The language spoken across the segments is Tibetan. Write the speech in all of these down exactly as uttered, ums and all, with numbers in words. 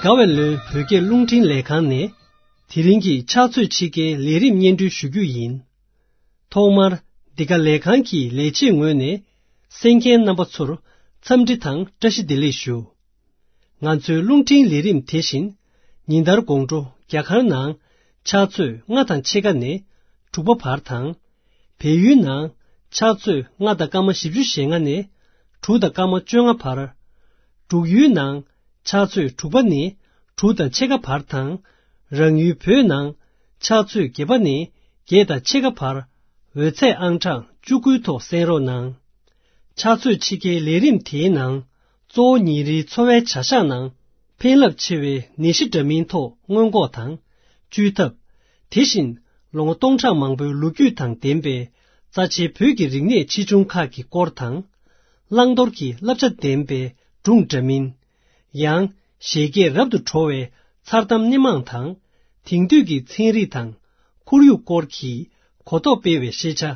དགའ་བའི་ལོའི་བོད་སྐད་རླུང་འཕྲིན་ལས་ཁང་ནས། དེ་རིང་གི་ཕྱག་ཚོད་ཕྱེད་ཀའི་ལས་རིམ་སྙན་སྒྲོན་ཞུ་རྒྱུ་ཡིན། ཐོག་མར། འདི་ག་ལས་ཁང་གི་ལས་བྱེད་ངོས་ནས། གསན་མཁན་རྣམ་པ་ཚོར། འཚམས་འདྲི་དང་བཀྲ་ཤིས་བདེ་ལེགས་ཞུ། ང་ཚོའི་རླུང་འཕྲིན་ལས་རིམ་དེ་བཞིན། ཉིན་ལྟར་དགོང་དྲོ་རྒྱ་གར་ནང་ཕྱག་ཚོད་ལྔ་དང་ཕྱེད་ཀ་ནས་དྲུག་པ་བར་དང་། བལ་ཡུལ་ནང་ཕྱག་ཚོད་ལྔ་དང་སྐར་མ་བཞི་བཅུ་ཞེ་ལྔ་ནས་དྲུག་དང་སྐར་མ་བཅོ་ལྔ་བར། འབྲུག་ཡུལ་ནང་ཕྱག་ཚོད་དྲུག་པ་ནས་དྲུག་དང་ཕྱེད་ཀ་བར་དང་། རང་ཡུལ་བོད་ནང་ཕྱག་ཚོད་བརྒྱད་པ་ནས་བརྒྱད་དང་ཕྱེད་ཀ་བར། འོད་ཚད་ཨང་གྲངས་བཅུ་དགུའི་ཐོག་གསན་རོགས་གནང་། ཕྱག་ཚོད་ཕྱེད་ཀའི་ལས་རིམ་དེའི་ནང་། གཙོ་བོ་ཉིན་རེའི་འཚོ་བའི་བྱ་གཞག་ནང་ཕན་རླབས་ཆེ་བའི་ནད་གཞི་འདྲ་མིན་ཐོག་སྔོན་འགོག་དང་བཅོས་ཐབས། དེ་བཞིན་ལོ་ངོ་སྟོང་ཕྲག་མང་པོའི་ལོ་རྒྱུས་དང་ལྡན་པའི་རྩ་ཆེའི་བོད་ཀྱི་རིག་གནས་ཆེ་ཆུང་ཁག་གི་སྐོར་དང་། བླང་དོར་གྱི་བསླབ་བྱ་ལྡན་པའི་སྒྲུང་འདྲ་མིན། ཡང་། བཞད་གད་རབ་ཏུ་བྲོ་བའི་མཚར་གཏམ་སྣེ་མང་དང་། དེང་དུས་ཀྱི་ཚན་རིག་དང་ཁོར་ཡུག་སྐོར་གྱི་གོ་རྟོགས་སྤེལ་བའི་ཤེས་བྱ།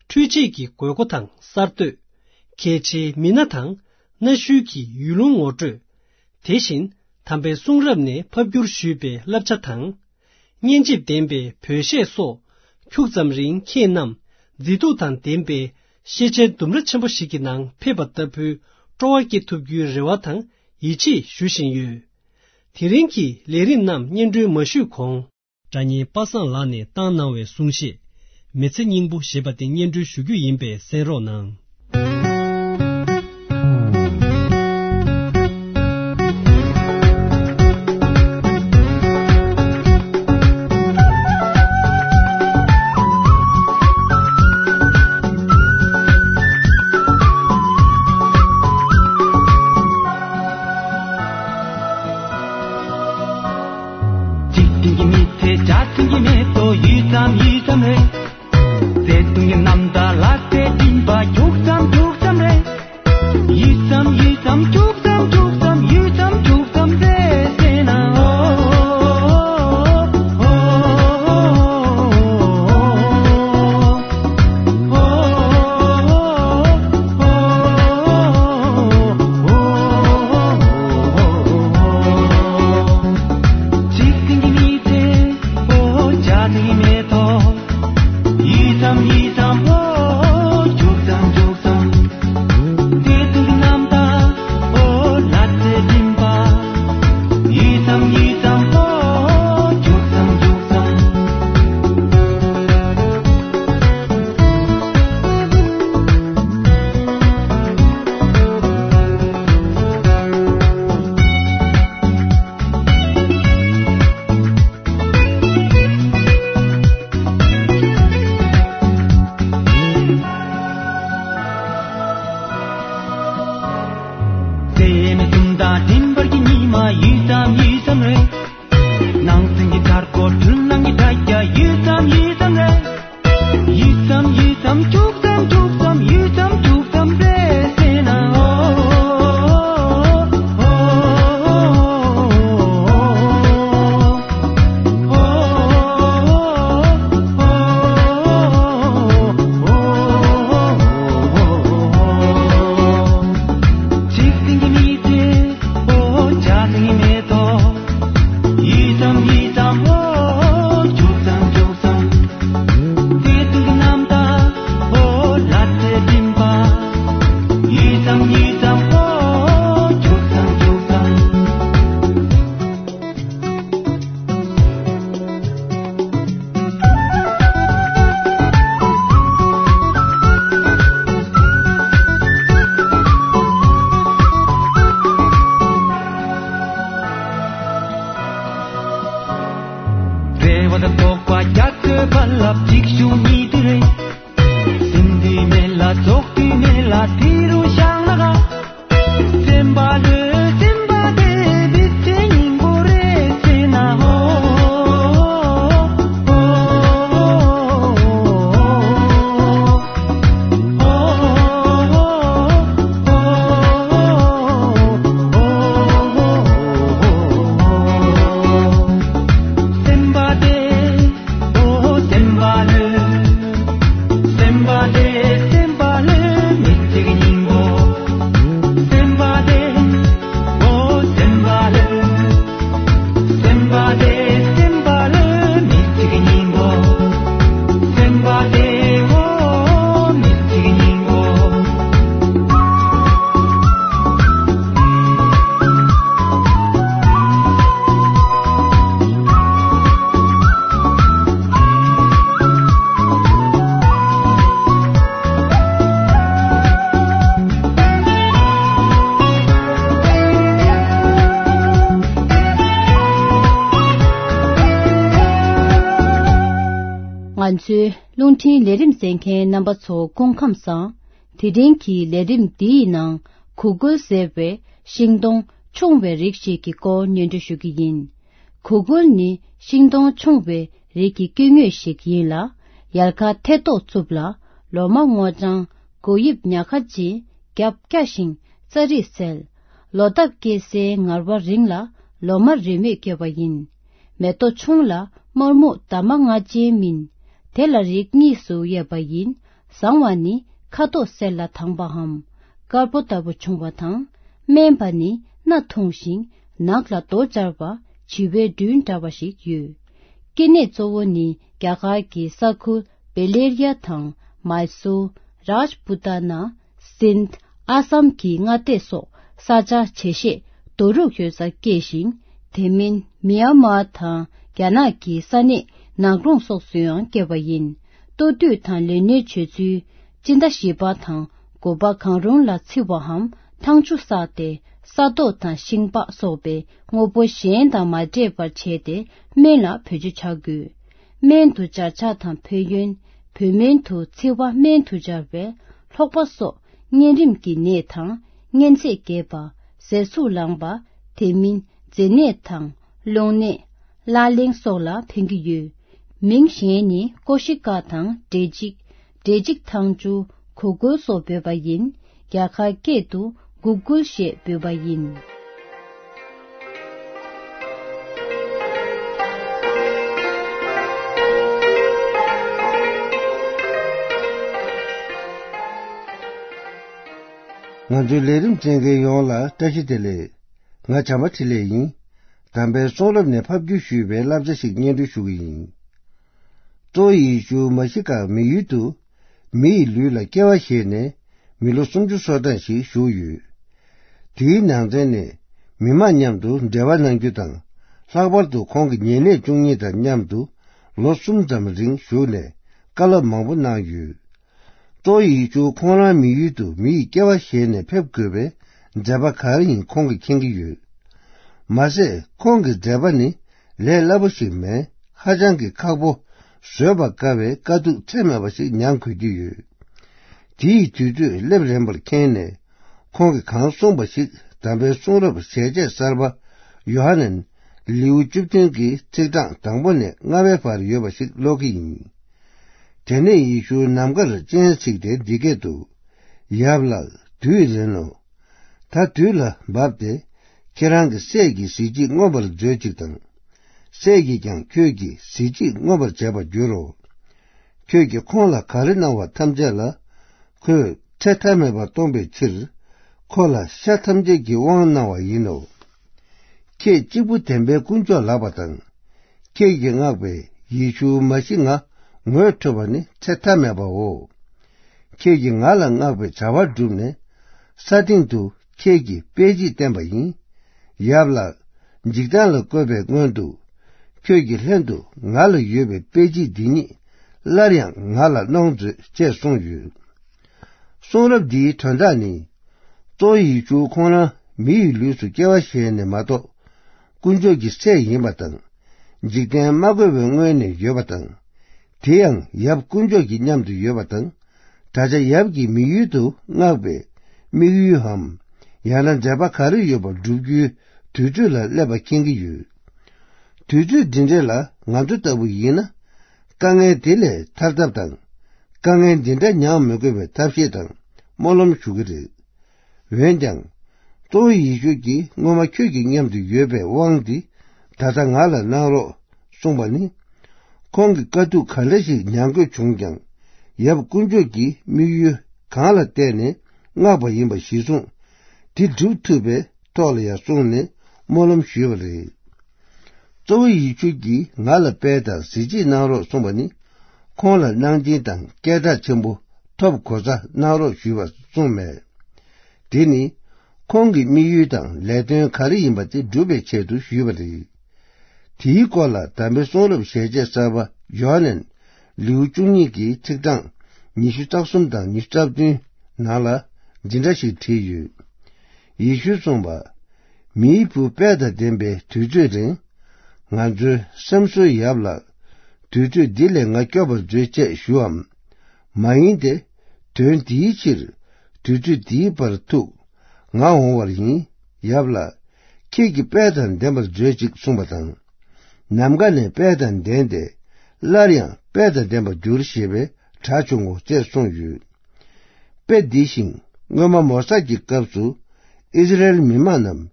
འཕྲུལ་ཆས་ཀྱི་དགོས་མཁོ་དང་གསར་གཏོད། གལ་ཆེའི་མི་སྣ་དང་གནའ་ཤུལ་གྱི་ཡུལ་ལུང་ངོ་སྤྲོད། དེ་བཞིན་དམ་པའི་གསུང་རབ་ནས་ཕབ་བསྒྱུར་ཞུས་པའི་བསླབ་བྱ་དང་། སྙན་འཇེབས་ལྡན་པའི་བོད་གཞས་སོགས་ཁྱུག་ཙམ་རིང་ཁྱེད་རྣམས་མཛེས་སྡུག་དང་ལྡན་པའི་ཤེས་བྱའི་ལྡུམ་ར་ཆེན་པོ་ཞིག་གི་ནང་ཕེབས་པ་ལྟ་བུའི་སྤྲོ་བ་སྐྱེ་ཐུབ་རྒྱུའི་རེ་བ་དང་ཡིད་ཆེས་ཞུ་བཞིན་ཡོད། དེ་རིང་གི་ལས་རིམ་རྣམས་སྙན་སྒྲོན་མ་ཞུས་གོང་། སྒྲ་སྙན་པ་སངས་ལགས་ནས་བཏང་གནང་བའི་གསུང་བཤད། མི་ཚེ་སྙིང་པོ་ཞེས་པ་དེ་སྙན་སྒྲོན་ཞུ་རྒྱུ་ཡིན་པས་གསན་རོགས་གནང་། འཇིག་རྟེན་གྱི་མི་ཚེ་འཇའ་ཚོན་གྱི་མེ་ཏོག་ཡུད་ཙམ་ཡུད་ཙམ་རེད། བརྩེ་དུང་གི་རྣམ་ཐར་ལ་རྩེ་སྦྱིན་པ་རྒྱུག་ཙམ་རྒྱུག་ཙམ་རེད། ཡུད་ཙམ་ཡུད་ཙམ་རྒྱུག་ཙམ་རྒྱུག་ཙམ་ཡུད་ཙམ་རྒྱུག་ཙམ་རེད་ཟེར་ན། ཨོ། འཇིག་རྟེན་གྱི་མི་ཚེ་ཨོ་འཇའ་ཚོན་གྱི་མེ་ཏོག་ཡུད་ཙམ་ཡུད་ཙམ་ཨོ་རྒྱུག་ཙམ་རྒྱུག་ཙམ། བརྩེ་དུང་གི་རྣམ་ཐར་ཨོ་ལ་རྩེ་སྦྱིན་པ། ཡུད་ཙམ་ཡུད་ཙམ་ཨོ་རྒྱུག་ཙམ་རྒྱུག་ཙམ། ཚེ་མེད་གསུམ་དང་མཐུན་པར་གྱི་ཉི་མ་ཡུད་ཙམ་ཡུད་ཙམ་རེད། ནང་སེམས་ཀྱི་དར་གོ་འཁྲུལ་སྣང་གི་དྲ་རྒྱ་ཡུད་ཙམ་ཡུད་ཙམ་རེད། ཡུད་ཙམ་ཡུད་ཙམ་རྒྱུག་ཙམ་རྒྱུག་ཙམ་ཡུད་ཙམ་རྒྱུག་ཙམ་རེད་ཟེར་ན། ཨོ། འཇིག་རྟེན་གྱི་མི་ཚེ་ཨོ་འཇའ་ཚོན་གྱི་མེ་ཏོག་ཡུད་ཙམ་ཡུད་ཙམ་ཨོ་རྒྱུག་ཙམ་རྒྱུག་ཙམ། བརྩེ་དུང་གི་རྣམ་ཐར་ཨོ་ལ་རྩེ་སྦྱིན་པ། ཡུད་ཙམ་ཡུད་ཙམ་ཨོ་རྒྱུག་ཙམ་རྒྱུག་ཙམ། རེ་བ་དང་དོགས་པ་རྒྱ་མཚོའི་རྦ་རླབས་འཇིགས་ཞུགས་ཉིད་དུ་རེད། ཟིན་དུས་མེད་ལ་རྫོགས་དུས་མེད་ལ་དེ་རུ་བཞག་ན་ག་སེམས་པ་ལྷོད་སེམས་པ་བདེ་མི་ཚེ་སྙིང་པོ་རེད་ཟེར་ན། ཨོ། སེམས་པ་བདེ། ཨོ་སེམས་པ་ལྷོད། སེམས་པ་བདེ་སེམས་པ་ལྷོད་མི་ཚེ་གི་སྙིང་པོ། ང་ཚོའི་རླུང་འཕྲིན་ལས་རིམ་གསན་མཁན་རྣམ་པ་ཚོ་སྐུ་ཁམས་བཟང་། དེ་རིང་གི་ལས་རིམ་འདིའི་ནང་གུ་གུལ་ཟེར་བའི་ཤིང་སྡོང་ཆུང་བའི་རིགས་ཤིག་གི་སྐོར་སྙན་སྒྲོན་ཞུ་གི་ཡིན། གུ་གུལ་ནི་ཤིང་སྡོང་ཆུང་བའི་རིགས་ཀྱི་སྐྱེ་དངོས་ཤིག་ཡིན་ལ། ཡལ་ག་ཐལ་ཏོག་ཙམ་ལ། ལོ་མ་སྔོ་ལྗང་། གོ་དབྱིབས་ཉག་ཁ་ཅན། རྒྱབ་སྐྱ་ཞིང་རྩ་རིས་གསལ། ལོ་འདབ་སྐྱེ་སའི་ངར་བ་རིང་ལ། ལོ་མ་རེ་མོས་སྐྱེ་བ་ཡིན། མེ་ཏོག་ཆུང་ལ་དམར་སྨུག་འདབ་མ་ལྔ་ཅན་སྨིན། དེ་ལ་རིགས་གཉིས་སུ་དབྱེ་བ་ཡིན། ཟང་བ་ནི་ཁ་དོག་སེར་ལ་དྭངས་པའམ་དཀར་པོ་ལྟ་བུ་བྱུང་བ་དང་། དམན་པ་ནི་སྣ་ཐུང་ཞིང་ནགས་ལ་རྡོ་སྦྱར་བ་བྱི་བའི་སྦྲུལ་འདྲ་བ་ཞིག་ཡོད། སྐྱེ་གནས་གཙོ་བོ་ནི་རྒྱ་གར་གྱི་ས་ཁུལ་བེ་ལེ་རི་ཡ་དང་མཱི་སུར། རཱཇ་པུ་ཏཱ་ན། སིནྡྷ། ཨ་སམ་གྱི་མངའ་སྡེ་སོགས་ས་ཆ་བྱེ་ཤེས་རྡོ་རུག་ཡོད་སར་སྐྱེས་ཤིང་། དེ་མིན་མི་ཡན་མར་དང་རྒྱ་ནག་གི་ས་གནས་ནགས་ཀླུང་སོགས་སུ་ཡང་སྐྱེ་བ་ཡིན། ལྟོ་དུས་དང་ལས་སྣོན་བྱེད་ཚུལ། སྤྱི་ཟླ་བཞི་པ་དང་དགུ་པ་གང་རུང་ལ་འཚིག་པའམ་ཐང་ཆུ་བསགས་ཏེ། ས་རྡོ་དང་ཤིང་ལྤགས་སོགས་པའི་དངོས་པོ་གཞན་དང་མ་འདྲེས་པར་བྱས་ཏེ། སྨན་ལ་བེད་སྤྱོད་བྱ་དགོས། སྨན་དུ་སྦྱར་ཆ་དང་ཕན་ཡོན། བོད་སྨན་དུ་ཚིལ་བ་སྨན་དུ་སྦྱར་བའི་ལྷོག་པ་སོགས་གཉན་རིམས་ཀྱི་ནད་དང་། གཉན་ཚད་རྒྱས་པ། ཟས་ཟུག་ལངས་པ། དེ་མིན་མཛེ་ནད་དང་རླུང་ནད། ལག་ལེན་སོགས་ལ་ཕན་གྱི་ཡོད། མིང་གཞན་ནི་ཀོ་ཤི་ཀ་དང་འབྲས་འཇིགས། འབྲས་འཇིགས་ཐང་ཆུ། གུ་གུལ་སོགས་འབོད་པ་ཡིན། རྒྱ་གར་སྐད་དུ་གུ་གུལ་ཞེས་འབོད་པ་ཡིན། ང་ཚོའི་ལས་རིམ་གསན་མཁན་ཡོངས་ལ་བཀྲ་ཤིས་བདེ་ལེགས། ང་བྱམས་པ་འཕྲིན་ལས་ཡིན། དམ་པའི་གསུང་རབ་ནས་ཕབ་བསྒྱུར་ཞུས་པའི་བསླབ་བྱ་ཞིག་སྙན་སྒྲོན་ཞུ་གི་ཡིན། གཙོ་བོ་ཡེ་ཤུ་མཱ་ཤི་ཀ་མི་ཡུལ་དུ་མི་ཡི་ལུས་ལ་སྐྱེ་བ་བཞེས་ནས་མི་ལོ་སུམ་ཅུ་སོ་གྲངས་ཤིག་བཞུགས་ཡོད། དེའི་ནང་ཚན་ནས་མི་མང་མཉམ་དུ་འབྲེལ་བ་གནང་རྒྱུ་དང་། ལྷག་པར་དུ་ཁོང་གི་ཉེ་གནས་བཅུ་གཉིས་དང་མཉམ་དུ་ལོ་གསུམ་ཙམ་རིང་བཞུགས་ནས་བཀའ་སློབ་མང་པོ་གནང་ཡོད། གཙོ་བོ་ཡེ་ཤུ་ཁོང་རང་མི་ཡུལ་དུ་མི་ཡི་སྐྱེ་བ་བཞེས་ནས་ཕེབས་དགོས་པའི་མཛད་པ་ག་རེ་ཡིན་ཁོང་གིས་མཁྱེན་གྱི་ཡོད། མ་ཟད་ཁོང་གི་མཛད་པ་ནི་ལས་སླ་པོ་ཞིག་མེད། ཧ་ཅང་གི་ཁག་པོ། བཟོད་པ་དཀའ་བའི་དཀའ་སྡུག་ཚད་མེད་པ་ཞིག་མྱངས་དགོས་ཀྱི་ཡོད། དེ་ཡི་དུས་ཚོད་སླེབས་རན་པར་མཁྱེན་ནས། ཁོང་གིས་གང་གསུངས་པ་ཞིག་དམ་པའི་གསུང་རབ་ཞལ་ཆད་གསར་པ་ཡོ་ཧ་ནན་ལེའུ་བཅུ་བདུན་གྱི་ཚིག་གྲངས་དང་པོ་ནས་ལྔ་པའི་བར་ཡོད་པ་ཞིག་ཀློག་གི་ཡིན། དེ་ནས་ཡེ་ཤུ་ནམ་མཁར་སྤྱན་གཟིགས་ཏེ་འདི་སྐད་དུ། ཡབ་ལགས། དུས་རན་ནོ། ད་དུས་ལ་བབ་སྟེ། ཁྱེད་རང་གི་སྲས་ཀྱི་གཟི་བརྗིད་མངོན་པར་མཛོད་ཅིག་དང་། སྲས་ཀྱིས་ཀྱང་ཁྱོད་ཀྱི་གཟི་བརྗིད་མངོན་པར་བྱེད་པར་འགྱུར་རོ། ཁྱོད་ཀྱིས་ཁོང་ལ་ག་རེ་གནང་བ་ཐམས་ཅད་ལ། ཁོས་ཚེ་མཐའ་མེད་པར་གཏོང་པའི་ཕྱིར། ཁོ་ལ་ཤ་ཐམས་ཅད་ཀྱི་དབང་གནང་བ་ཡིན་ནོ། ཁྱེད་གཅིག་པུ་བདེན་པའི་དཀོན་མཆོག་ལགས་པ་དང་། ཁྱེད་ཀྱིས་མངགས་པའི་ཡེ་ཤུ་མཱ་ཤི་ང་ངོ་འཕྲོད་པ་ནི་ཚེ་མཐའ་མེད་པའོ། ཁྱེད་ཀྱིས་ང་ལ་མངགས་པའི་བྱ་བ་བསྒྲུབས་ནས། ས་སྟེང་དུ་ཁྱེད་ཀྱི་དཔེ་བརྗིད་བསྟན་པ་ཡིན། ཡབ་ལགས། འཇིག་རྟེན་ལ་བཀོད་པའི་སྔོན་དུ། ཁྱོད་ཀྱི་ལྷན་དུ་ང་ལ་ཡོད་པའི་དཔེ་བརྗིད་འདི་ཉིད་སླར་ཡང་ང་ལ་གནང་མཛོད་ཅེས་གསུངས་ཡོད། གསུང་རབ་འདིའི་དོན་དག་ནི། གཙོ་བོ་ཡེ་ཤུ་ཁོང་རང་མི་ཡི་ལུས་སུ་སྐྱེ་བ་བཞེས་ནས་མ་གཏོགས། དཀོན་མཆོག་གི་སྲས་ཡིན་པ་དང་། འཇིག་རྟེན་མ་བཀོད་པའི་སྔོན་ནས་ཡོད་པ་དང་། དེ་ཡང་ཡབ་དཀོན་མཆོག་གི་མཉམ་དུ་ཡོད་པ་དང་། ད་ཆ་ཡབ་ཀྱིས་མི་ཡུལ་དུ་མངགས་པའི་དམིགས་ཡུལ་འམ། ཡང་ན་མཛད་པ་ག་རེ་ཡོད་པ་བསྒྲུབ་རྒྱུའི་དུས་ཚོད་ལ་སླེབས་པ་མཁྱེན་གྱི་ཡོད། དུས་ཚོད་འདི་འདྲ་ལ་ང་ཚོ་ལྟ་བུ་ཡིན་ན། དཀའ་ངལ་དེ་ལས་ཐར་ཐབས་དང་། དཀའ་ངལ་འདི་འདྲ་མྱངས་མི་དགོས་པའི་ཐབས་ཤེས་དང་སྨོན་ལམ་ཞུ་གི་རེད། འོན་ཀྱང་། གཙོ་བོ་ཡེ་ཤུ་གྱིས་སྔོན་མ་ཁྱོད་ཀྱི་མཉམ་དུ་ཡོད་པའི་དབང་འདི་ད་ལྟ་ང་ལ་གནང་རོགས་གསུངས་པ་ནི། ཁོང་གིས་དཀའ་སྡུག་ག་འདྲ་ཞིག་མྱང་དགོས་བྱུང་ཀྱང་། ཡབ་དཀོན་མཆོག་གིས་དམིགས་ཡུལ་གང་ལ་བརྟེན་ནས་མངགས་པ་ཡིན་པ་གཞིར་བཟུང་། དེ་སྒྲུབ་ཐུབ་པའི་ཐོག་ལ་ཡང་བསྲུངས་ནས་སྨོན་ལམ་ཞུས་པ་རེད། གཙོ་བོ་ཡེ་ཤུ་གིས་ང་ལ་དཔལ་དང་གཟི་བརྗིད་གནང་རོགས་གསུངས་པ་ནི། ཁོང་ལ་གནང་སྦྱིན་དང་སྐད་གྲགས་ཆེན་པོ་ཐོབ་གོ་ས་གནང་རོགས་ཞུས་པ་གསུངས་མེད། དེ་ནི་ཁོང་གི་དམིགས་ཡུལ་དང་ལས་དོན་ག་རེ་ཡིན་པ་དེ་སྒྲུབ་པའི་ཆེད་དུ་ཞུས་པ་རེད། དེའི་སྐོར་ལ་དམ་པའི་གསུང་རབ་ཞལ་ཆད་གསར་པ་ཡོ་ཧ་ནན་ལེའུ་བཅུ་གཉིས་ཀྱི་ཚིག་གྲངས་ཉི་ཤུ་རྩ་གསུམ་དང་ཉི་ཤུ་རྩ་བདུན་ནང་ལ་འདི་འདྲ་ཞིག་བྲིས་ཡོད། ཡེ་ཤུས་གསུངས་པ། མིའི་བུ་དཔལ་དང་ལྡན་པའི་དུས་ཚོད་རིང་། ང་ཚོའི་སེམས་གསོའི་ཡབ་ལགས། དུར་ཁྲོད་འདི་ལས་ང་སྐྱོབ་པར་མཛོད་ཅེས་ཞུའམ། མ་ཡིན་ཏེ། དོན་འདིའི་ཕྱིར་དུར་ཁྲོད་འདིའི་བར་ཐུག་ང་འོང་བར་ཡིན། ཡབ་ལགས། ཁྱེད་ཀྱིས་དཔལ་དང་ལྡན་པར་མཛོད་ཅིག་གསུངས་པ་དང་། ནམ་མཁའ་ནས་དཔལ་དང་ལྡན་ཏེ། སླར་ཡང་དཔལ་དང་ལྡན་པར་འགྱུར་ཞེས་པའི་སྒྲ་བྱུང་ངོ་ཅེས་གསུངས་ཡོད། དཔེ་འདི་བཞིན་སྔོན་མ་མོ་ས་ཀྱི་སྐབས་སུ་ཨིསི་རཱཨེལ་མི་མང་རྣམས་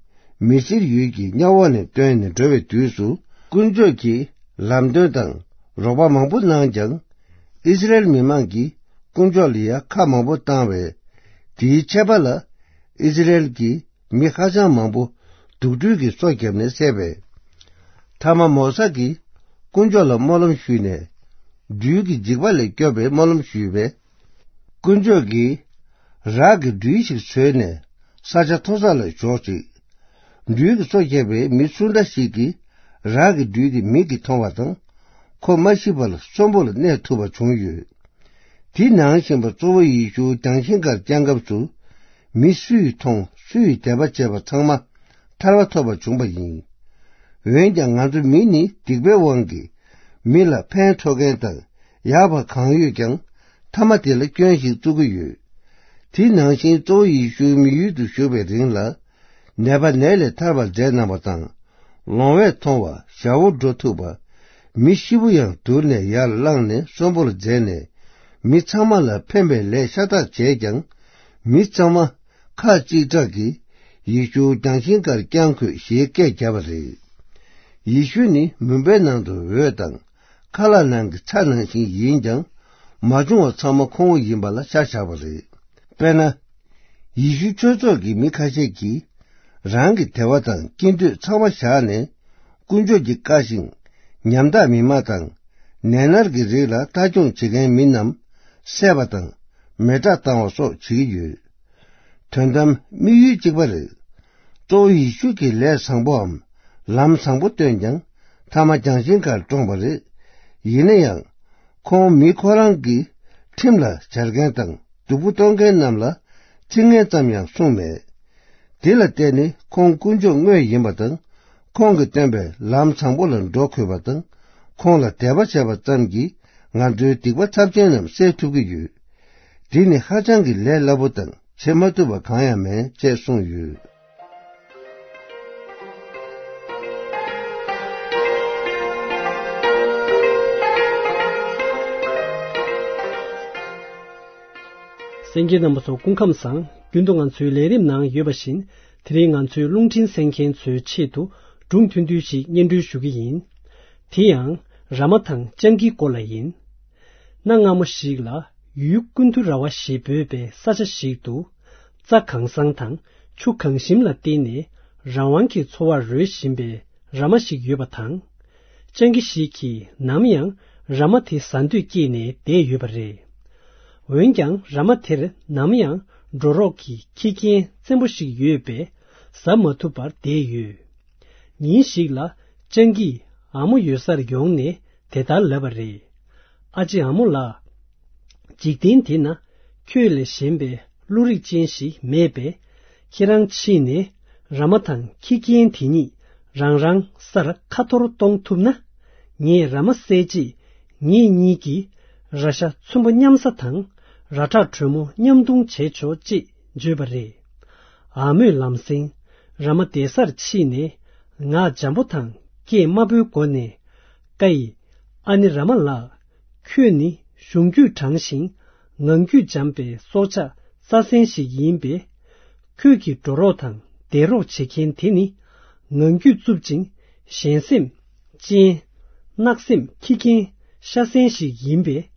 མི་སིར་ཡུལ་གྱི་གཉའ་འོག་ནས་བཏོན་ནས་འགྲོ་བའི་དུས་སུ། དཀོན་མཆོག་གི་ལམ་སྟོན་དང་རོགས་པ་མང་པོ་གནང་ཀྱང་། ཨིསི་རཱཨེལ་མི་མང་གིས་དཀོན་མཆོག་ལ་ཡང་ཁ་མང་པོ་བཏང་བས། དེའི་ཆད་པ་ལ་ཨིསི་རཱཨེལ་གྱི་མི་ཧ་ཅང་མང་པོ་དུག་སྦྲུལ་གྱིས་སོ་བརྒྱབ་ནས་བསད་པས། མཐའ་མ་མོ་ས་གིས་དཀོན་མཆོག་ལ་སྨོན་ལམ་ཞུས་ནས། སྦྲུལ་གྱི་འཇིགས་པ་ལས་སྐྱོབ་པའི་སྨོན་ལམ་ཞུས་པས། དཀོན་མཆོག་གིས་རག་གི་སྦྲུལ་ཞིག་བཟོས་ནས་ས་ཆ་མཐོ་ས་ལ་འཇོག་ཅིག་སྦྲུལ་གྱིས་སོ་བརྒྱབ་པའི་མི་སུ་འདྲ་ཞིག་གིས་རག་གི་སྦྲུལ་དེ་མིག་གིས་མཐོང་བ་དང་། ཁོ་མ་ཤི་བར་གསོན་པོ་ལ་གནས་ཐུབ་པ་བྱུང་ཡོད། དེ་ནང་བཞིན་པ་གཙོ་བོ་ཡེ་ཤུ་རྒྱང་ཤིང་ཁར་བརྐྱང་སྐབས་སུ། མི་སུས་མཐོང་སུས་དད་པ་བྱས་པ་ཚང་མ་ཐར་པ་ཐོབ་པ་བྱུང་བ་ཡིན། འོན་ཀྱང་ང་ཚོ་མི་ནི་སྡིག་པའི་དབང་གིས་མི་ལ་ཕན་ཐོགས་མཁན་དང་ཡག་པ་གང་ཡོད་ཀྱང་། མཐའ་མ་དེ་ལ་སྐྱོན་ཞིག་བཙུགས་ཀྱི་ཡོད། དེ་ནང་བཞིན་གཙོ་བོ་ཡེ་ཤུ་མི་ཡུལ་དུ་བཞུགས་པའི་རིང་ལ། ནད་པ་ནད་ལས་ཐར་བར་མཛད་གནང་བ་དང་། ལོང་བས་མཐོང་བ། ཞ་བོ་འགྲོ་ཐུབ་པ། མི་ཤི་བོ་ཡང་དུར་ནས་ཡར་བླངས་ནས་གསོན་པོར་མཛད་ནས། མི་ཚང་མ་ལ་ཕན་པའི་ལས་ཤ་སྟག་བྱས་ཀྱང་། མི་ཚང་མ་ཁ་གཅིག་གྲགས་ཀྱིས་ཡེ་ཤུ་རྒྱང་ཤིང་ཁར་བརྐྱང་དགོས་ཞེས་སྐད་བརྒྱབ་པ་རེད། ཡེ་ཤུ་ནི་མུན་པའི་ནང་དུ་འོད་དང་། ཁ་ལག་ནང་གི་ཚྭ་ནང་བཞིན་ཡིན་ཀྱང་། མ་བྱུང་བ་ཚང་མ་ཁོང་ཡིན་པ་ལ་ཤ་བཞག་པ་རེད། དཔེར་ན། ཡེ་ཤུ་ཆོས་ཚོགས་ཀྱི་མི་ཁ་ཤས་ཀྱིས་རང་གི་དད་པ་དང་སྐྱིད་འདོད་ཚང་མ་བཞག་ནས། དཀོན་མཆོག་གི་བཀའ་བཞིན་ཉམ་ཐག་མི་མང་དང་ནད་མནར་གྱི་རིགས་ལ་ལྟ་སྐྱོང་བྱེད་མཁན་མི་རྣམས་བསད་པ་དང་མེ་སྲེག་བཏང་བ་སོགས་བྱེད་ཀྱི་ཡོད། དོན་དམ་དམིགས་ཡུལ་གཅིག་པ་རེད། གཙོ་བོ་ཡེ་ཤུ་གིས་ལས་བཟང་པོའམ་ལམ་བཟང་པོ་སྟོན་ཀྱང་། མཐའ་མ་རྒྱང་ཤིང་ཁར་བཀྲོངས་པ་རེད། ཡིན་ན་ཡང་། ཁོང་མི་ཁོ་རང་གི་ཁྲིམས་ལ་སྦྱར་མཁན་དང་སྡུག་པོ་གཏོང་མཁན་རྣམས་ལ་ཚིག་ངན་ཙམ་ཡང་གསུངས་མེད། དེ་ལ་བརྟེན་ནས་ཁོང་དཀོན་མཆོག་དངོས་ཡིན་པ་དང་། ཁོང་གིས་སྟོན་པའི་ལམ་བཟང་པོ་ལ་འགྲོ་དགོས་པ་དང་། ཁོང་ལ་དད་པ་བྱས་པ་ཙམ་གྱིས་ང་ཚོའི་སྡིག་པ་ཚབས་ཆེན་རྣམས་སེལ་ཐུབ་ཀྱི་ཡོད། འདི་ནི་ཧ་ཅང་གི་ལས་སླ་པོ་དང་བྱེད་མ་ཐུབ་པ་གང་ཡང་མེད་ཅེས་གསུངས་ཡོད། གསན་མཁན་རྣམ་པ་ཚོ་སྐུ་ཁམས་བཟང་། རྒྱུན་དུ་ང་ཚོའི་ལས་རིམ་ནང་ཡོད་པ་བཞིན། དེ་རིང་ང་ཚོའི་རླུང་འཕྲིན་གསན་མཁན་ཚོའི་ཆེད་དུ་སྒྲུང་ཐུང་ཐུང་ཞིག་སྙན་སྒྲོན་ཞུ་གི་ཡིན། དེ་ཡང་ར་མ་དང་སྤྱང་ཀིའི་སྐོར་ལ་ཡིན། གནའ་སྔ་མོ་ཞིག་ལ་ཡུལ་ཀུན་ཏུ་ར་བ་ཞེས་འབོད་པའི་ས་ཆ་ཞིག་ཏུ། རྩྭ་གང་ས་དང་ཆུ་གང་ཞིམ་ལ་བརྟེན་ནས་རང་དབང་གི་འཚོ་བར་རོལ་བཞིན་པའི་ར་མ་ཞིག་ཡོད་པ་དང་། སྤྱང་ཀི་ཞིག་གིས་ནམ་ཡང་ར་མ་དེ་ཟ་འདོད་སྐྱེས་ནས་བསྡད་ཡོད་པ་རེད། འོན་ཀྱང་ར་མ་དེར་ནམ་ཡང་འགྲོ་རོགས་ཀྱི་ཁྱི་རྒན་བཙན་པོ་ཞིག་ཡོད་པས་ཟ་མ་ཐུབ་པར་བསྡད་ཡོད། ཉིན་ཞིག་ལ་སྤྱང་ཀིས་ཨ་མོ་ཡོད་སར་ཡོང་ནས་དེ་ལྟར་ལབ་པ་རེད། ཨ་ཅེ་ཨ་མོ་ལགས། འཇིག་རྟེན་འདི་ན་ཁྱོད་ལས་གཞན་པའི་བློ་རིག་ཅན་ཞིག་མེད་པས། ཁྱེད་རང་ཕྱིན་ནས་ར་མ་དང་ཁྱི་རྒན་དེ་གཉིས་རང་རང་སར་ཁ་འཐོར་གཏོང་ཐུབ་ན། ངས་ར་མ་བསད་རྗེས་ངེད་གཉིས་ཀྱིས་ར་ཤ་ཚོན་པོ་མཉམ་ཟ་དང་ར་ཁྲག་དྲོན་མོ་མཉམ་འཐུང་བྱས་ཆོག་ཅེས་བརྗོད་པ་རེད། ཨ་མོས་ལམ་སེང་ར་མ་བསྡད་སར་ཕྱིན་ནས་ངག་འཇམ་པོ་དང་སྐད་དམའ་པོའི་སྒོ་ནས། ཀ་ཡི། ཨ་ནེ་ར་མ་ལགས། ཁྱོད་ནི་གཞུང་རྒྱུད་དྲང་ཞིང་ངང་རྒྱུད་འཇམ་པའི་སྲོག་ཆགས་རྩྭ་གཟན་ཞིག་ཡིན་པས། ཁྱོད་ཀྱི་འགྲོ་རོགས་དང་བསྡད་རོགས་བྱེད་མཁན་དེ་ནི་ངང་རྒྱུད་རྩུབ་ཅིང་ཞན་སེམས་ཅན། གནག་སེམས་ཁྱི་རྒན་ཤ་གཟན་ཞིག་ཡིན་པས།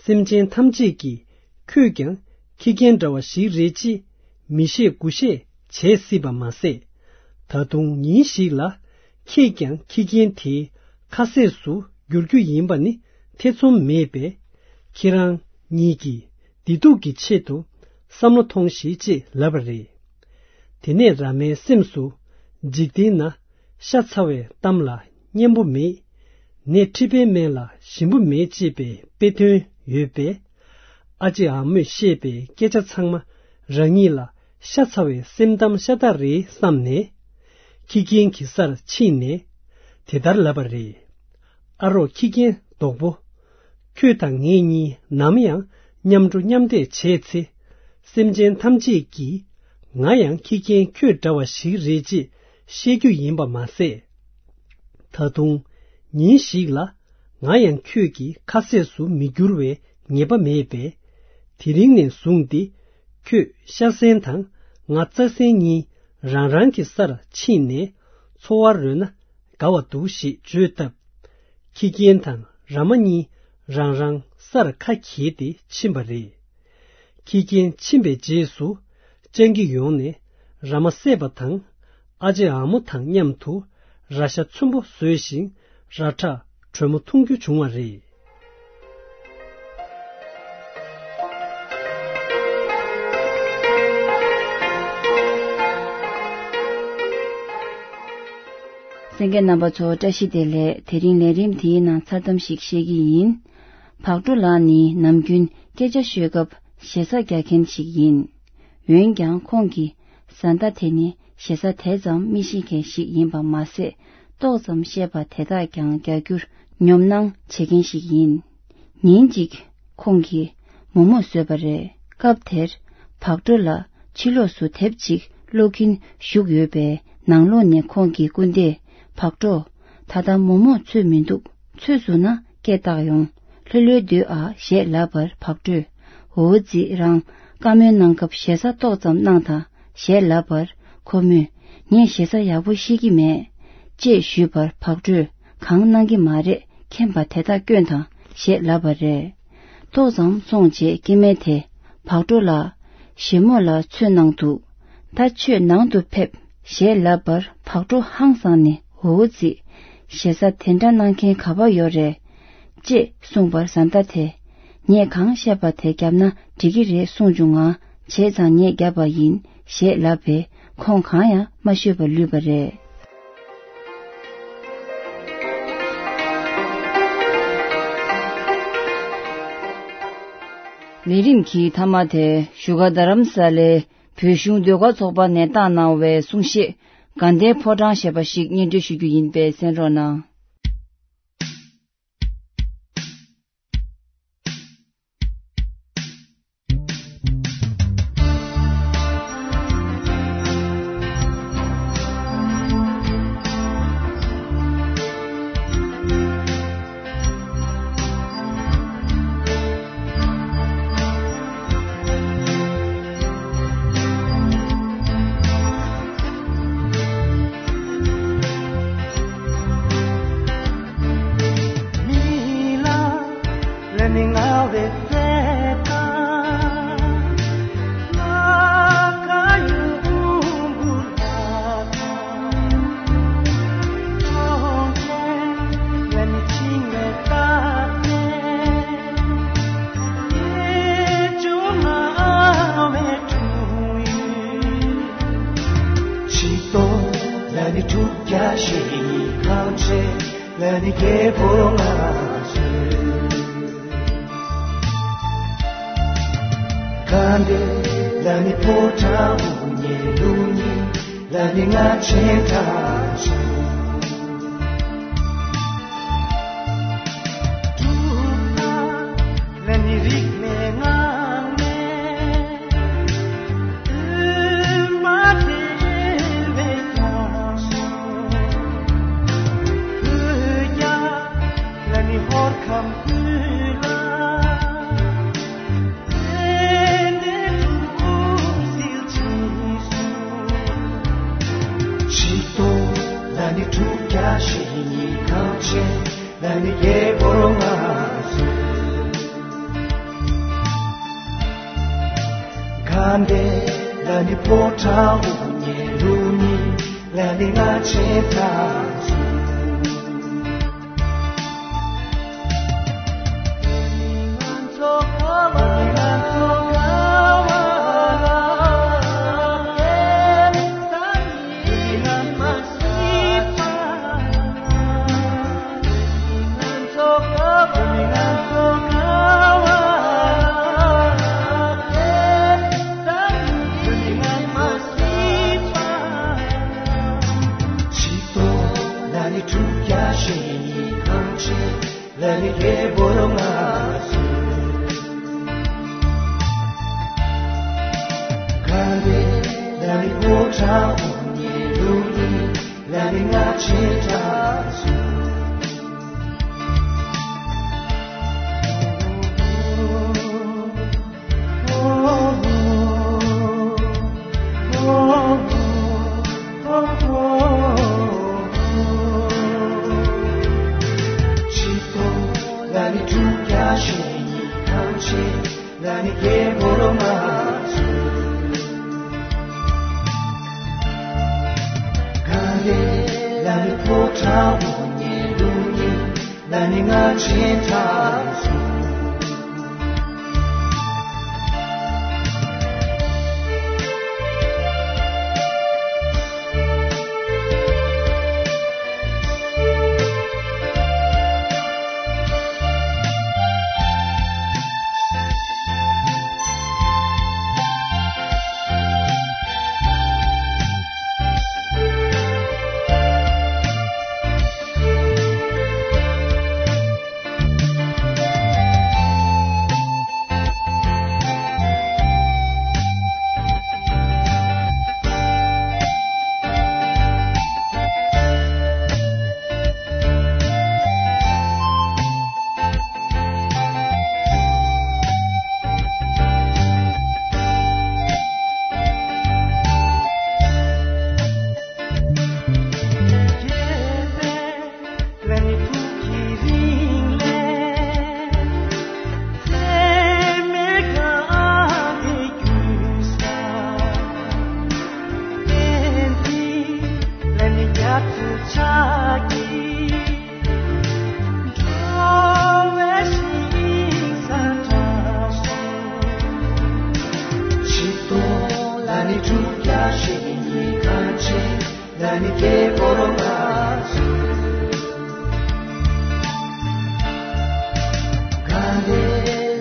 སེམས་ཅན་ཐམས་ཅད་ཀྱིས་ཁྱོད་ཀྱང་ཁྱི་རྒན་འདྲ་བ་ཞིག་རེད་ཅེས་མི་ཤེས་དགུ་ཤེས་བྱེད་སྲིད་པ་མ་ཟད། ད་དུང་ཉིན་ཞིག་ལ་ཁྱེད་ཀྱང་ཁྱི་རྒན་དེའི་ཁ་ཟས་སུ་འགྱུར་རྒྱུ་ཡིན་པ་ནི་ཐེ་ཚོམ་མེད་པས། ཁྱེད་རང་ཉིད་ཀྱི་བདེ་སྡུག་གི་ཆེད་དུ་བསམ་བློ་ཐོངས་ཤིག་ཅེས་ལབ་པ་རེད། དེ་ནས་ར་མའི་སེམས་སུ་འཇིག་རྟེན་ན་ཤ་ཚ་བའི་གཏམ་ལ་སྙན་པོ་མེད། ནད་མཁྲིས་པའི་སྨན་ལ་ཞིམ་པོ་མེད་ཅེས་པའི་དཔེ་དོན་ཡོད་པས། ཨ་ཅེ་ཨ་མོས་བཤད་པའི་སྐད་ཆ་ཚང་མ་རང་ཉིད་ལ་ཤ་ཚ་བའི་སེམས་གཏམ་ཤ་སྟག་རེད་བསམ་ནས། ཁྱི་རྒན་གྱི་སར་ཕྱིན་ནས་དེ་ལྟར་ལབ་པ་རེད། ཨ་རོགས་ཁྱི་རྒན། བདག་པོ། ཁྱོད་དང་ངེད་གཉིས་ནམ་ཡང་མཉམ་འགྲོ་མཉམ་བསྡད་བྱས་ཚེ། སེམས་ཅན་ཐམས་ཅད་ཀྱིས་ང་ཡང་ཁྱི་རྒན་ཁྱོད་འདྲ་བ་ཞིག་རེད་ཅེས་བཤད་རྒྱུ་ཡིན་པ་མ་ཟད། ད་དུང་ཉིན་ཞིག་ལ་ང་ཡང་ཁྱོད་ཀྱི་ཁ་ཟས་སུ་མི་འགྱུར་བའི་ངེས་པ་མེད་པས། དེ་རིང་ནས་བཟུང་སྟེ་ཁྱོད་ཤ་ཟན་དང་ང་རྩྭ་ཟན་གཉིས་རང་རང་གི་སར་ཕྱིན་ནས་འཚོ་བ་རོལ་ན་དགའ་བ་འདུག་ཞེས་བརྗོད་སྟབས། ཁྱི་རྒན་དང་ར་མ་གཉིས་རང་རང་སར་ཁ་གྱེས་ཏེ་ཕྱིན་པ་རེད། ཁྱི་རྒན་ཕྱིན་པའི་རྗེས་སུ་སྤྱང་ཀི་ཡོང་ནས་ར་མ་བསད་པ་དང་། ཨ་ཅེ་ཨ་མོ་དང་མཉམ་དུ་ར་ཤ་ཚོན་པོ་བཟོས་ཤིང་། ར་ཁྲག་དྲོན་མོ་འཐུང་རྒྱུ་བྱུང་བ་རེད། གསན་མཁན་རྣམ་པ་ཚོ་བཀྲ་ཤིས་བདེ་ལེགས། དེ་རིང་ལས་རིམ་འདིའི་ནང་མཚར་གཏམ་ཞིག་བཤད་ཀྱི་ཡིན། བག་གྲོ་ལགས་ནི་ནམ་རྒྱུན་སྐད་ཆ་ཤོད་སྐབས་ཞེ་ས་རྒྱག་མཁན་ཞིག་ཡིན། འོན་ཀྱང་ཁོང་གིས་བཟའ་ཟླ་དེ་ནི་ཞེ་ས་དེ་ཙམ་མི་ཤེས་མཁན་ཞིག་ཡིན་པ་མ་ཟད། ཏོག་ཙམ་བཤད་པ་དེ་དག་ཀྱང་རྒྱག་རྒྱུར་ཉོབ་སྣང་བྱེད་མཁན་ཞིག་ཡིན། ཉིན་གཅིག་ཁོང་གིས་མོག་མོག་བཟོས་པ་རེད། སྐབས་དེར་བག་གྲོ་ལགས་ཕྱི་ལོགས་སུ་དེབ་ཅིག་ཀློག་གིན་བཞུགས་ཡོད་པས། ནང་ལོགས་ནས་ཁོང་གི་སྐུ་ཟླས། བག་གྲོ། ད་ལྟ་མོག་མོག་ཚོས་མི་འདུག་ཚོས་བཟོས་ན་སྐད་བཏགས་ཡོང་། ལྷོད་ལྷོད་སྡོད་ཨ་ཞེས་ལབ་པར། བག་གྲོས། འོ་ཙི། རང་བཀའ་མོལ་གནང་སྐབས་ཞེ་ས་ཏོག་ཙམ་གནང་དང་ཞེས་ལབ་པར། ཁོ་མོས། ངས་ཞེ་ས་ཡག་པོ་ཤེས་ཀྱི་མེད། ཅེས་ཞུས་པར། བག་གྲོས། གང་གནང་གི་མ་རེད། མཁྱེན་པ་དེ་དག་སྐྱོན་དང་ཞེས་ལབ་པ་རེད། ཏོག་ཙམ་སོང་རྗེས་སྐྱེ་དམན་དེས། བག་གྲོ་ལགས། ཞེ་མོག་ལ་ཚོས་གནང་འདུག་ད་ཁྱོད་ནང་དུ་ཕེབས་ཞེས་ལབ་པར། བག་གྲོ་ཧང་སངས་ནས། འོ་ཙི། ཞེ་ས་དེ་འདྲ་གནང་མཁན་ག་པར་ཡོད་རེད། ཅེས་གསུངས་པར། བཟའ་ཟླ་དེས། ངས་གང་བཤད་པ་དེ་བརྒྱབ་ན་འགྲིག་གི་རེད་གསུངས་བྱུང་ང་། བྱས་ཙང་ངས་བརྒྱབ་པ་ཡིན་ཞེས་ལབ་པས། ཁོང་གང་ཡང་མ་ཤོད་པར་ལུས་པ་རེད། ལས་རིམ་གྱི་མཐའ་མ་དེ་བཞུགས་སྒར་རྡ་རམ་ས་ལའི་བོད་གཞུང་ཟློས་གར་ཚོགས་པ་ནས་བཏང་གནང་བའི་གསུང་བཤད། དགའ་ལྡན་ཕོ་བྲང་ཞེས་པ་ཞིག་སྙན་སྒྲོན་ཞུ་རྒྱུ་ཡིན་པས་གསན་རོགས་གནང་། ག་འདྲ་ལ་ནི་ཕོ་བྲང་དབུ་བརྙེས་ལུགས་གཉིས་ལ་ནི་ང་ཆེན་གྲགས་བྱུང་། གྲུབ་མཐའ་ལ་ནི་རིག་གནས་ངང་ནས་དུ་མ་བྲལ་བའི་ཀྱང་བོད་རྒྱལ་ལ་ནི་ཧོར་ཁམས་ཀུན་ལ། ལ་ནི་སྐྱེས་བུ་རུ་ང་སུ། ག་འདི་ལ་ནི་ཕོ་བྲང་དབུ་ཉེ་རུ་ནི་ལ་ནི་ང་ཆེ་དྲག་སུ།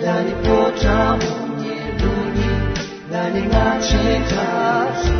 ལ་ནི་ཕོ་བྲང་དབུ་ཉེ་རུ་ནི་ལ་ནི་ང་ཆེ་དྲག་སུ།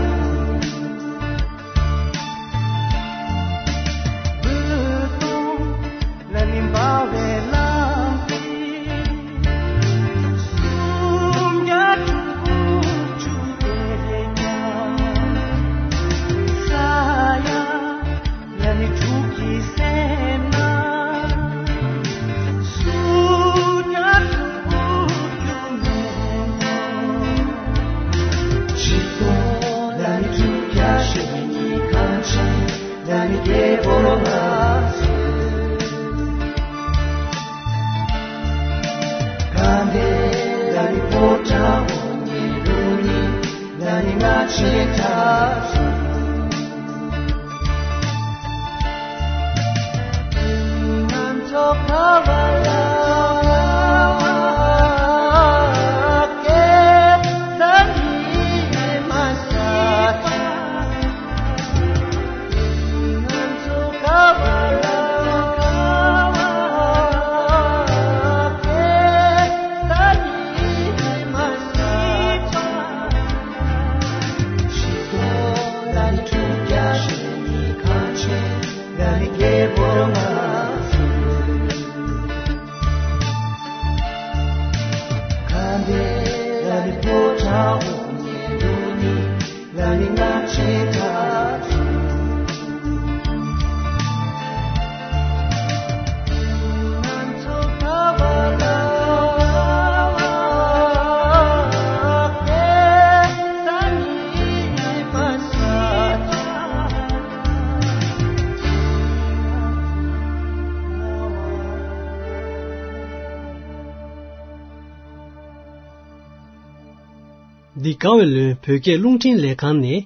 འདི་ག་བའི་ལོན་བོད་སྐད་རླུང་འཕྲིན་ལས་ཁང་ནས་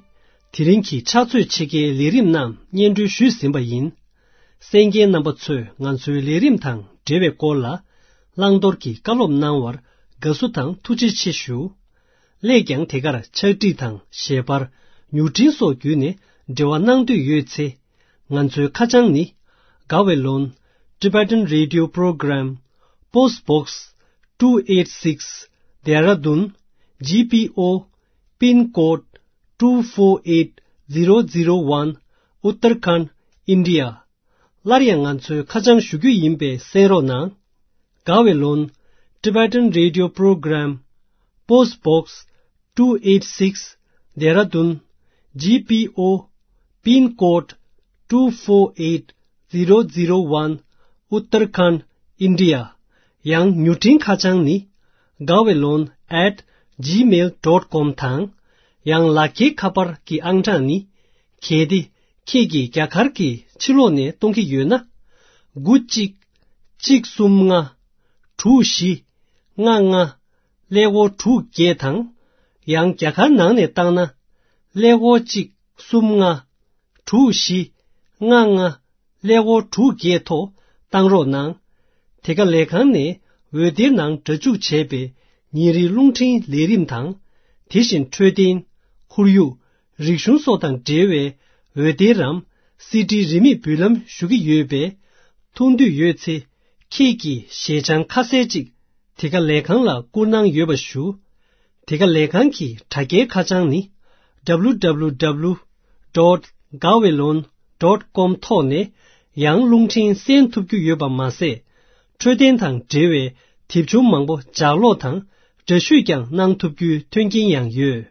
དེ་རིང་གི་ཕྱག་ཚོད་ཕྱེད་ཀའི་ལས་རིམ་རྣམས་སྙན་སྒྲོན་ཞུས་ཟིན་པ་ཡིན། གསན་མཁན་རྣམ་པ་ཚོས་ང་ཚོའི་ལས་རིམ་དང་འབྲེལ་བའི་སྐོར་ལ་བླང་དོར་གྱི་བཀའ་སློབ་གནང་བར་དགའ་བསུ་དང་ཐུགས་རྗེ་ཆེ་ཞུ། སླད་ཀྱང་དེ་གར་ཕྱག་བྲིས་དང་ཞལ་པར། མྱུར་འཕྲིན་སོགས་བརྒྱུད་ནས་འབྲེལ་བ་གནང་འདོད་ཡོད་ཚེ། ང་ཚོའི་ཁ་བྱང་ནི། Gawaylon Tibetan Radio Program, Post Box two eight six, Dehradun G P O, Pin Code two four eight zero zero one, Uttarakhand, India. སླར་ཡང་ང་ཚོའི་ཁ་བྱང་ཞུ་རྒྱུ་ཡིན་པས་གསན་རོགས་གནང་། Gaweylon Tibetan Radio Program, Post Box two eight six, Dehradun, G P O, pin code two four eight zero zero one, Uttarakhand, India. ཡང་མྱུར་འཕྲིན་ཁ་བྱང་ནི་gaweylon at gmail dot com དང་། ཡང་ལག་འཁྱེར་ཁ་པར་གྱི་ཨང་གྲངས་ནི། གལ་ཏེ་ཁྱེད་ཀྱིས་རྒྱ་གར་གྱི་ཕྱི་ལོགས་ནས་གཏོང་གི་ཡོད་ན། དགུ་གཅིག་གཅིག་གསུམ་ལྔ་དྲུག་བཞི་ལྔ་ལྔ་ཀླད་ཀོར་དྲུག་བརྒྱད་དང་། ཡང་རྒྱ་གར་ནང་ནས་བཏང་ན། ཀླད་ཀོར་གཅིག་གསུམ་ལྔ་དྲུག་བཞི་ལྔ་ལྔ་ཀླད་ཀོར་དྲུག་བརྒྱད་ཐོག་བཏང་རོགས་གནང་། དེ་ག་ལས་ཁང་ནས་འོད་སྡེར་ནང་སྒྲ་འཇུག་བྱས་པའི་ཉིན་རེའི་རླུང་འཕྲིན་ལས་རིམ་དང་། དེ་བཞིན་འཕྲོད་བསྟེན། ཁོར་ཡུག་རིག་གཞུང་སོགས་དང་འབྲེལ་བའི་འོད་སྡེར་རམ་སི་ཌི་རིན་མེད་འབུལ་ལམ་ཞུ་གི་ཡོད་པས། ཐུགས་འདོད་ཡོད་ཚེ། ཁྱེད་ཀྱིས་ཞལ་བྱང་ཁ་གསལ་ཅིག་དེ་ག་ལས་ཁང་ལ་བསྐུར་གནང་ཡོད་པ་ཞུ། དེ་ག་ལས་ཁང་གི་དྲ་རྒྱའི་ཁ་བྱང་ནི། W W W dot gaweylon dot com ཐོག་ནས་ཡང་རླུང་འཕྲིན་གསན་ཐུབ་རྒྱུ་ཡོད་པ་མ་ཟད། འཕྲོད་བསྟེན་དང་འབྲེལ་བའི་དེབ་ཆུང་མང་པོ་ལྗགས་ཀློག་དང་འདྲ་བཤུས་ཀྱང་གནང་ཐུབ་རྒྱུའི་མཐུན་རྐྱེན་ཡང་ཡོད།